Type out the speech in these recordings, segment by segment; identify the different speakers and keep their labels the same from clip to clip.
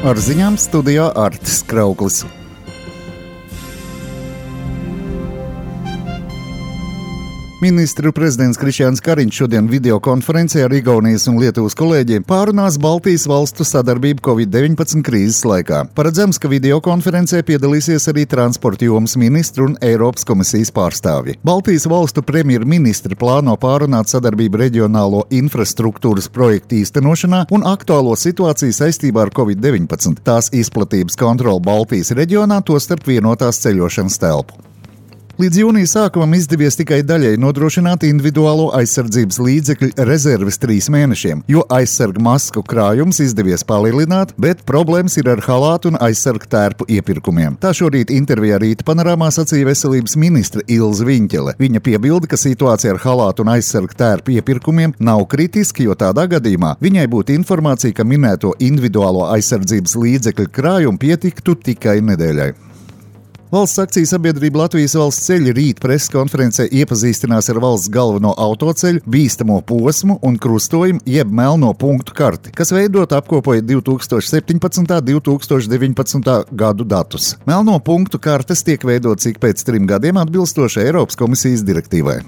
Speaker 1: Ar ziņām studijā Artis Krauklis. Ministru prezidents Krišjāns Kariņš šodien videokonferencē ar Igaunijas un Lietuvas kolēģiem pārunās Baltijas valstu sadarbību Covid-19 krīzes laikā. Paredzams, ka videokonferencē piedalīsies arī transporta jomas ministru un Eiropas komisijas pārstāvji. Baltijas valstu premjerministri plāno pārunāt sadarbību reģionālo infrastruktūras projektu īstenošanā un aktuālo situāciju saistībā ar Covid-19, tās izplatības kontroli Baltijas reģionā, tostarp vienotās ceļošanas telpu. Līdz jūnija sākumam izdevies tikai daļai nodrošināt individuālo aizsardzības līdzekļu rezerves 3 mēnešiem, jo aizsargu masku krājums izdevies palielināt, bet problēmas ir ar halātu un aizsargu tērpu iepirkumiem. Tā šorīt intervijā Rīta panorāmā sacīja veselības ministre Ilze Viņķele. Viņa piebilda, ka situācija ar halātu un aizsargu tērpu iepirkumiem nav kritiska, jo tādā gadījumā viņai būtu informācija, ka minēto individuālo aizsardzības līdzekļu krājumu pietiktu tikai nedēļai. Valsts akciju sabiedrība Latvijas valsts ceļi rīt preses konferencē iepazīstinās ar valsts galveno autoceļu, bīstamo posmu un krustojumu jeb melno punktu karti, kas veidot apkopojot 2017. un 2019. gadu datus. Melno punktu kartes tiek veidotas ik pēc 3 gadiem atbilstoši Eiropas komisijas direktīvai.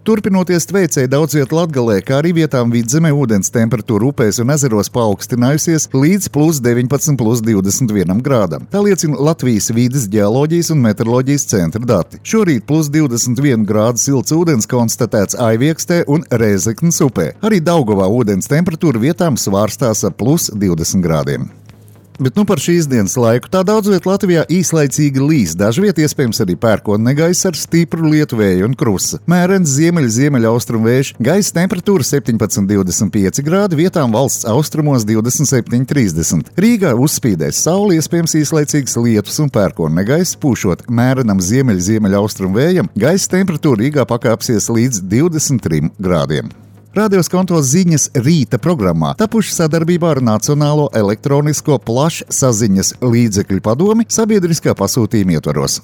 Speaker 1: Turpinoties tveicēji daudz vietu Latgalē, kā arī vietām Vidzemē ūdens temperatūra upēs un ezeros paaugstinājusies līdz +19, +21 grādam. Tā liecina Latvijas vides ģeoloģijas un meteoroloģijas centra dati. Šorīt +21 grādu silts ūdens konstatēts Aiviekstē un Rēzeknes upē. Arī Daugavā ūdens temperatūra vietām svārstās ar +20 grādiem. Bet par šīs dienas laiku tā daudz viet Latvijā īslaicīgi līs, dažviet iespējams arī pērkona negaiss ar stipru lietu vēju un krusa. Mērens ziemeļaustrumu vējš, gaisa temperatūra 17,25 grādi, vietām valsts austrumos 27,30. Rīgā uzspīdēs saule, iespējams īslaicīgs lietus un pērkona negaiss, pūšot mērenam ziemeļaustrumu vējam, gaisa temperatūra Rīgā pakāpsies līdz 23 grādiem. Radio Skonto ziņas rīta programmā tapuši sadarbībā ar Nacionālo elektronisko plašsaziņas līdzekļu padomi sabiedriskā pasūtījuma ietvaros.